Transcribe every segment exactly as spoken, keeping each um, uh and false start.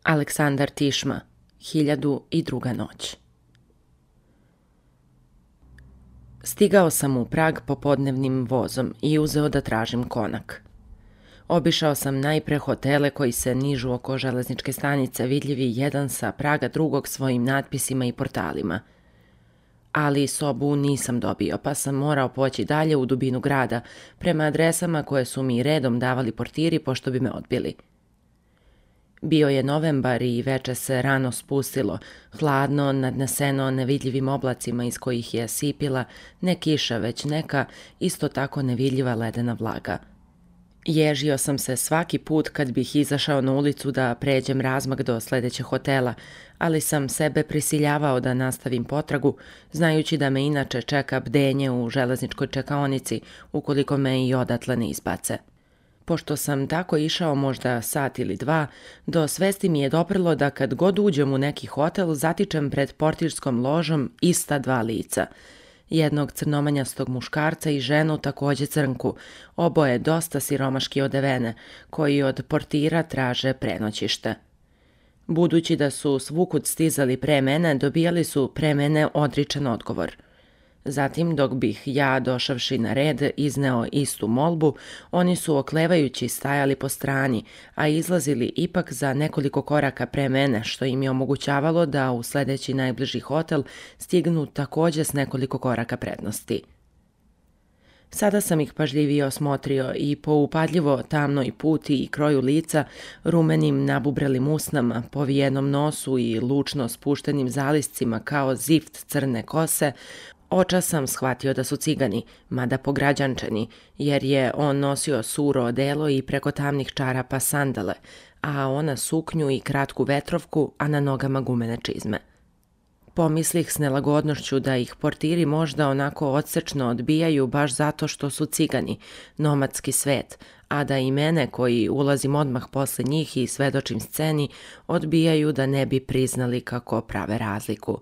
Aleksandar Tišma, Hiljadu i druga noć. Stigao sam u Prag popodnevnim vozom i uzeo da tražim konak. Obišao sam najpre hotele koji se nižu oko železničke stanice, vidljivi jedan sa praga drugog svojim natpisima i portalima. Ali sobu nisam dobio, pa sam morao poći dalje u dubinu grada, prema adresama koje su mi redom davali portiri pošto bi me odbili. Bio je novembar i veče se rano spustilo, hladno, nadneseno nevidljivim oblacima iz kojih je sipila ne kiša, već neka isto tako nevidljiva ledena vlaga. Ježio sam se svaki put kad bih izašao na ulicu da pređem razmak do sledećeg hotela, ali sam sebe prisiljavao da nastavim potragu, znajući da me inače čeka bdenje u železničkoj čekaonici ukoliko me i odatle ne izbace. Pošto sam tako išao možda sat ili dva, do svesti mi je doprlo da kad god uđem u neki hotel zatičem pred portirskom ložom ista dva lica. Jednog crnomanjastog muškarca i ženu takođe crnku, oboje dosta siromaški odevene, koji od portira traže prenoćište. Budući da su svukud stizali pre mene, dobijali su pre mene odričan odgovor. Zatim, dok bih ja, došavši na red, izneo istu molbu, oni su oklevajući stajali po strani, a izlazili ipak za nekoliko koraka pre mene, što im je omogućavalo da u sledeći najbliži hotel stignu takođe s nekoliko koraka prednosti. Sada sam ih pažljivije osmotrio i po upadljivo tamnoj puti i kroju lica, rumenim nabubrelim usnama, povijenom nosu i lučno spuštenim zaliscima kao zift crne kose, očas sam shvatio da su cigani, mada pograđančeni, jer je on nosio suro odelo i preko tamnih čarapa sandale, a ona suknju i kratku vetrovku, a na nogama gumene čizme. Pomislih s nelagodnošću da ih portiri možda onako odsečno odbijaju baš zato što su cigani, nomadski svet, a da i mene koji ulazim odmah posle njih i svedočim sceni, odbijaju da ne bi priznali kako prave razliku.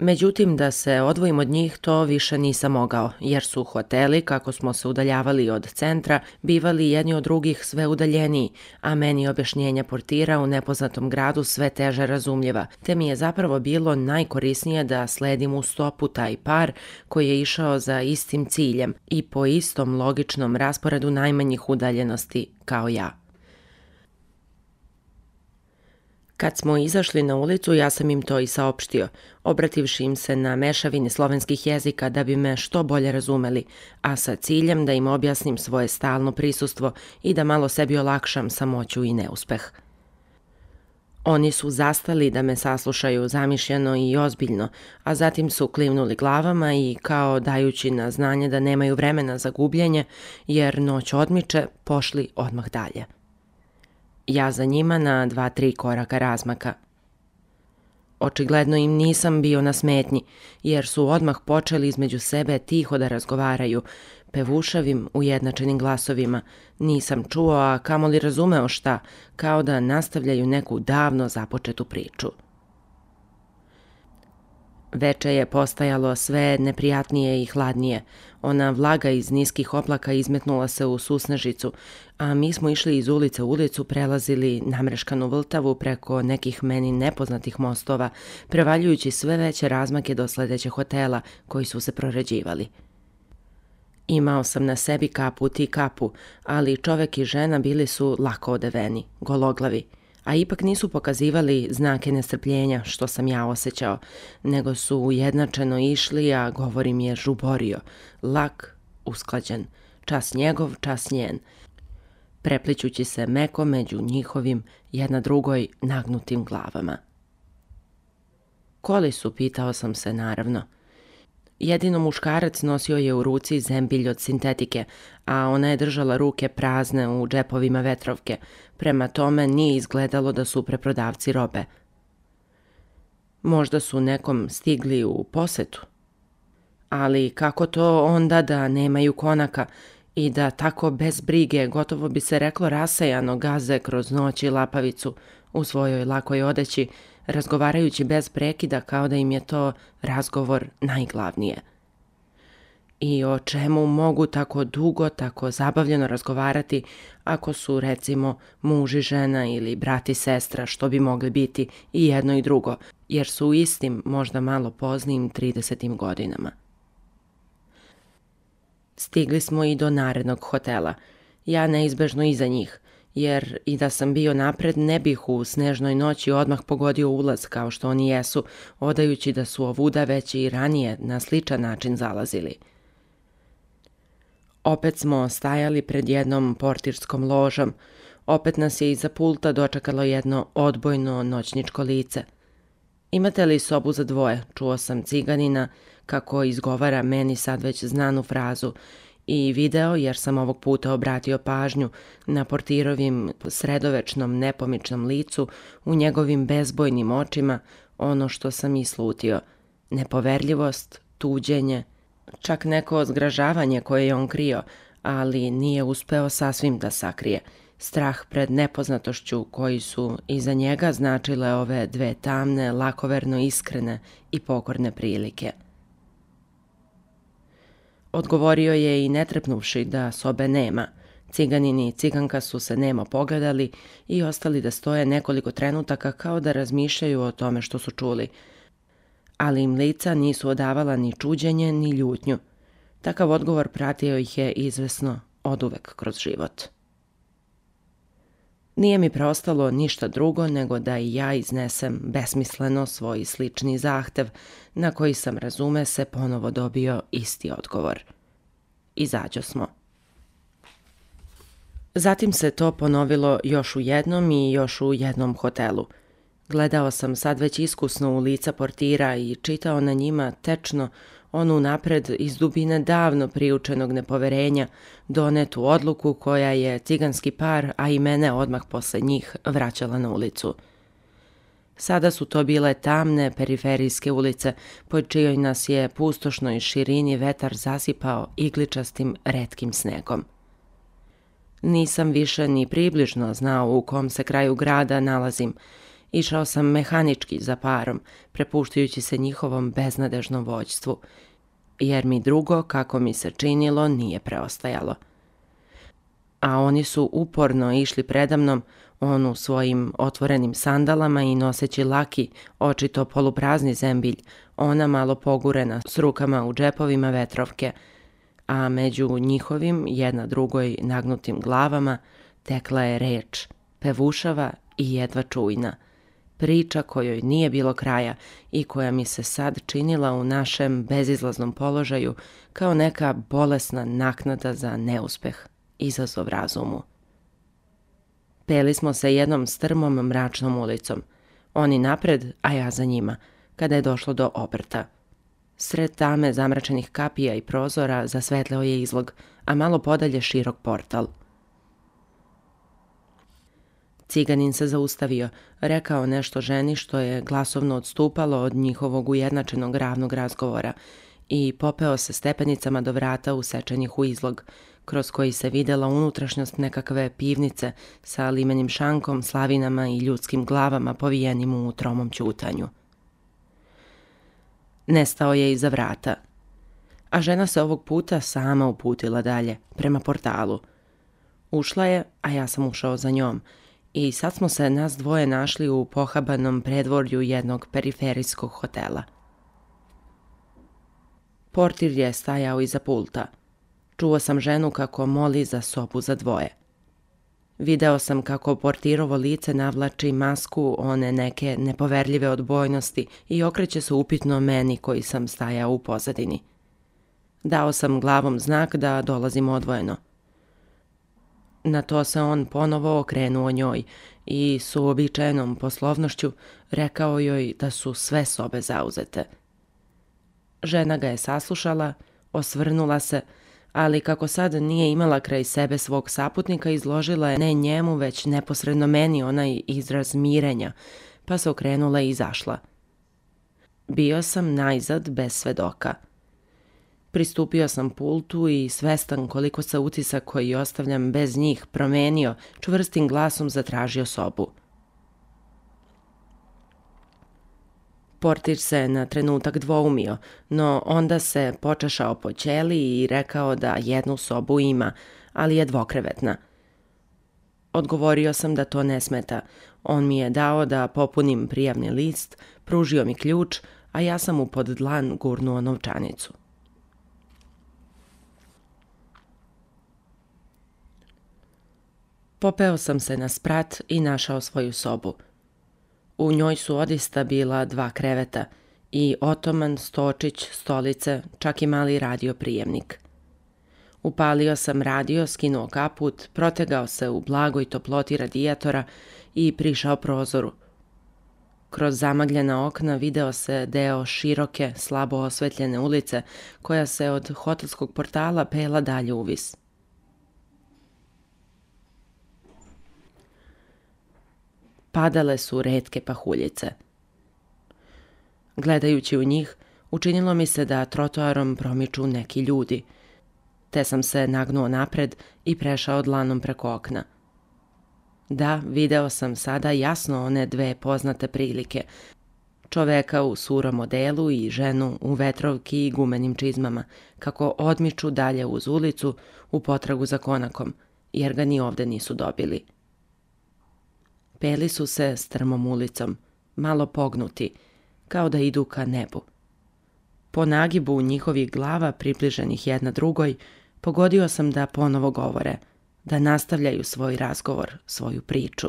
Međutim, da se odvojim od njih to više nisam mogao, jer su hoteli, kako smo se udaljavali od centra, bivali jedni od drugih sve udaljeniji, a meni objašnjenja portira u nepoznatom gradu sve teže razumljiva, te mi je zapravo bilo najkorisnije da sledim u stopu taj par koji je išao za istim ciljem i po istom logičnom rasporedu najmanjih udaljenosti kao ja. Kad smo izašli na ulicu, ja sam im to i saopštio, obrativši im se na mešavini slovenskih jezika da bi me što bolje razumeli, a sa ciljem da im objasnim svoje stalno prisustvo i da malo sebi olakšam samoću i neuspeh. Oni su zastali da me saslušaju zamišljeno i ozbiljno, a zatim su klivnuli glavama i, kao dajući na znanje da nemaju vremena za gubljenje, jer noć odmiče, pošli odmah dalje. Ja za njima na dva, tri koraka razmaka. Očigledno im nisam bio na smetnji, jer su odmah počeli između sebe tiho da razgovaraju, pevušavim, ujednačenim glasovima. Nisam čuo, a kamoli razumeo šta, kao da nastavljaju neku davno započetu priču. Veče je postajalo sve neprijatnije i hladnije. Ona vlaga iz niskih oblaka izmetnula se u susnežicu, a mi smo išli iz ulice u ulicu, prelazili namreškanu Vltavu preko nekih meni nepoznatih mostova, prevaljujući sve veće razmake do sledećeg hotela koji su se proređivali. Imao sam na sebi kaput i kapu, ali čovek i žena bili su lako odeveni, gologlavi, a ipak nisu pokazivali znake nestrpljenja, što sam ja osjećao, nego su ujednačeno išli, a govor im je žuborio, lak, usklađen, čas njegov, čas njen, preplićući se meko među njihovim, jedna drugoj nagnutim glavama. Koli su, pitao sam se naravno. Jedino muškarac nosio je u ruci zembilj od sintetike, a ona je držala ruke prazne u džepovima vetrovke, prema tome nije izgledalo da su preprodavci robe. Možda su nekom stigli u posetu. Ali kako to onda da nemaju konaka i da tako bez brige, gotovo bi se reklo rasejano, gaze kroz noć i lapavicu u svojoj lakoj odeći, razgovarajući bez prekida kao da im je to razgovor najglavnije. i o čemu mogu tako dugo, tako zabavljeno razgovarati ako su, recimo, muž i žena ili brat i sestra, što bi mogli biti i jedno i drugo, jer su u istim, možda malo poznijim tridesetim godinama. Stigli smo i do narednog hotela, ja neizbežno iza njih, jer i da sam bio napred ne bih u snežnoj noći odmah pogodio ulaz kao što oni jesu, odajući da su ovuda već i ranije na sličan način zalazili. Opet smo stajali pred jednom portirskom ložom, opet nas je iza pulta dočekalo jedno odbojno noćničko lice. Imate li sobu za dvoje, čuo sam ciganina kako izgovara meni sad već znanu frazu i video, jer sam ovog puta obratio pažnju na portirovim sredovečnom nepomičnom licu, u njegovim bezbojnim očima, ono što sam i slutio, nepoverljivost, tuđenje, čak neko zgražavanje koje je on krio, ali nije uspeo sasvim da sakrije, strah pred nepoznatošću koji su iza njega značile ove dve tamne, lakoverno iskrene i pokorne prilike. Odgovorio je i ne trepnuvši da sobe nema. Ciganin i ciganka su se nemo pogledali i ostali da stoje nekoliko trenutaka kao da razmišljaju o tome što su čuli. Ali im lica nisu odavala ni čuđenje ni ljutnju. Takav odgovor pratio ih je izvesno oduvek kroz život. Nije mi preostalo ništa drugo nego da i ja iznesem besmisleno svoj slični zahtev, na koji sam, razume se, ponovo dobio isti odgovor. Izađo smo. Zatim se to ponovilo još u jednom i još u jednom hotelu. Gledao sam sad već iskusno u lica portira i čitao na njima tečno onu napred iz dubine davno priučenog nepoverenja donetu odluku koja je ciganski par, a i mene odmah posle njih, vraćala na ulicu. Sada su to bile tamne periferijske ulice, po čijoj nas je pustošnoj širini vetar zasipao igličastim retkim snegom. Nisam više ni približno znao u kom se kraju grada nalazim. Išao sam mehanički za parom, prepuštajući se njihovom beznadežnom vođstvu, jer mi drugo, kako mi se činilo, nije preostajalo. A oni su uporno išli predamnom, on u svojim otvorenim sandalama i noseći laki, očito poluprazni zembilj, ona malo pogurena s rukama u džepovima vetrovke, a među njihovim, jedna drugoj nagnutim glavama, tekla je reč, pevušava i jedva čujna, priča kojoj nije bilo kraja i koja mi se sad činila u našem bezizlaznom položaju kao neka bolesna naknada za neuspeh, izazov razumu. Peli smo se jednom strmom mračnom ulicom, oni napred, a ja za njima, kada je došlo do obrta. Sred tame zamračenih kapija i prozora zasvetleo je izlog, a malo podalje širok portal. Ciganin se zaustavio, rekao nešto ženi što je glasovno odstupalo od njihovog ujednačenog ravnog razgovora i popeo se stepenicama do vrata usečenih u izlog, kroz koji se videla unutrašnjost nekakve pivnice sa limenim šankom, slavinama i ljudskim glavama povijenim u tromom ćutanju. Nestao je iza vrata, a žena se ovog puta sama uputila dalje, prema portalu. Ušla je, a ja sam ušao za njom, i sad smo se nas dvoje našli u pohabanom predvorju jednog periferijskog hotela. Portir je stajao iza pulta. Čuo sam ženu kako moli za sobu za dvoje. Video sam kako portirovo lice navlači masku one neke nepoverljive odbojnosti i okreće se upitno meni koji sam stajao u pozadini. Dao sam glavom znak da dolazim odvojeno. Na to se on ponovo okrenuo njoj i s uobičajenom poslovnošću rekao joj da su sve sobe zauzete. Žena ga je saslušala, osvrnula se, ali kako sad nije imala kraj sebe svog saputnika, izložila je ne njemu, već neposredno meni onaj izraz mirenja, pa se okrenula i izašla. Bio sam najzad bez svedoka. Pristupio sam pultu i svestan koliko se utisak koji ostavljam bez njih promenio, čvrstim glasom zatražio sobu. Portir se na trenutak dvoumio, no onda se počešao po ćeliji i rekao da jednu sobu ima, ali je dvokrevetna. Odgovorio sam da to ne smeta. On mi je dao da popunim prijavni list, pružio mi ključ, a ja sam mu pod dlan gurnuo novčanicu. Popeo sam se na sprat i našao svoju sobu. U njoj su odista bila dva kreveta i otoman, stočić, stolice, čak i mali radio prijemnik. Upalio sam radio, skinuo kaput, protegao se u blagoj toploti radijatora i prišao prozoru. Kroz zamagljena okna video se deo široke, slabo osvetljene ulice koja se od hotelskog portala pela dalje uvis. Padale su retke pahuljice. Gledajući u njih, učinilo mi se da trotoarom promiču neki ljudi, te sam se nagnuo napred i prešao dlanom preko okna. Da, video sam sada jasno one dve poznate prilike, čoveka u surom odelu i ženu u vetrovki i gumenim čizmama, kako odmiču dalje uz ulicu u potragu za konakom, jer ga ni ovde nisu dobili. Peli su se strmom ulicom, malo pognuti, kao da idu ka nebu. Po nagibu njihovih glava približenih jedna drugoj, pogodio sam da ponovo govore, da nastavljaju svoj razgovor, svoju priču.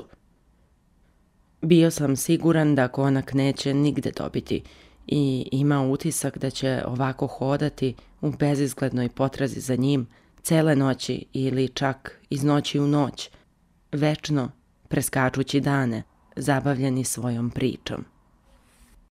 Bio sam siguran da konak neće nigde dobiti i imao utisak da će ovako hodati u bezizglednoj potrazi za njim cele noći ili čak iz noći u noć, večno preskačući dane, zabavljeni svojom pričom.